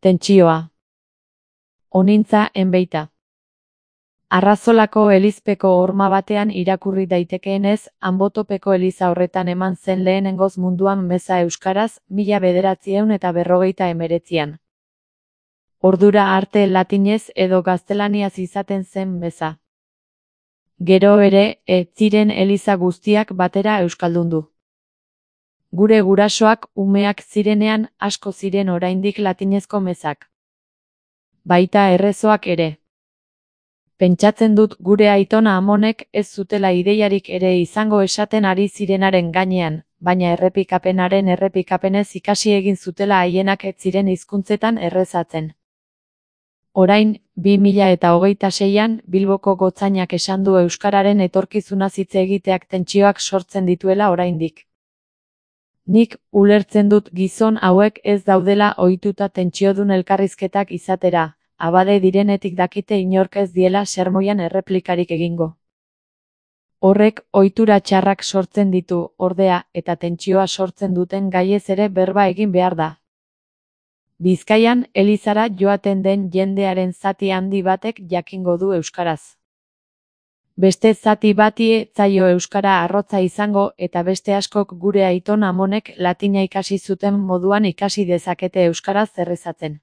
Tentsioa. Honintza enbeita. Arrazolako elizpeko horma batean irakurri daitekeenez, Anbotopeko eliza horretan eman zen lehenengoz munduan meza euskaraz, 1949an. Ordura arte latinez edo gaztelaniaz izaten zen meza. Gero ere, ez ziren eliza guztiak batera euskaldundu. Gure gurasoak umeak zirenean asko ziren oraindik latinezko mezak. Baita errezoak ere. Pentsatzen dut gure aitona amonek ez zutela ideiarik ere izango esaten ari zirenaren gainean, baina errepikapenez ikasi egin zutela haienak ez ziren hizkuntzetan errezatzen. Orain, 2026an Bilboko gotzainak esan du euskararen etorkizunaz hitz egiteak tentsioak sortzen dituela oraindik. Nik ulertzen dut gizon hauek ez daudela ohituta tentsiodun elkarrizketak izatera, abade direnetik dakite inork ez diela sermoian erreplikarik egingo. Horrek ohitura txarrak sortzen ditu, ordea, eta tentsioa sortzen duten gaiez ere berba egin behar da. Bizkaian, elizara joaten den jendearen zati handi batek jakingo du euskaraz. Beste zati bati ez zaio euskara arrotza izango eta beste askok gure aiton amonek latina ikasi zuten moduan ikasi dezakete euskaraz errezatzen.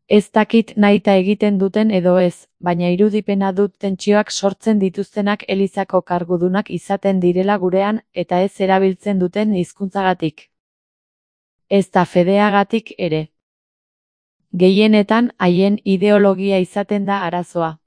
Ez dakit nahita egiten duten edo ez, baina irudipena dut tentsioak sortzen dituztenak elizako kargudunak izaten direla gurean eta ez erabiltzen duten hizkuntzagatik. Ezta fedeagatik ere. Gehienetan haien ideologia izaten da arazoa.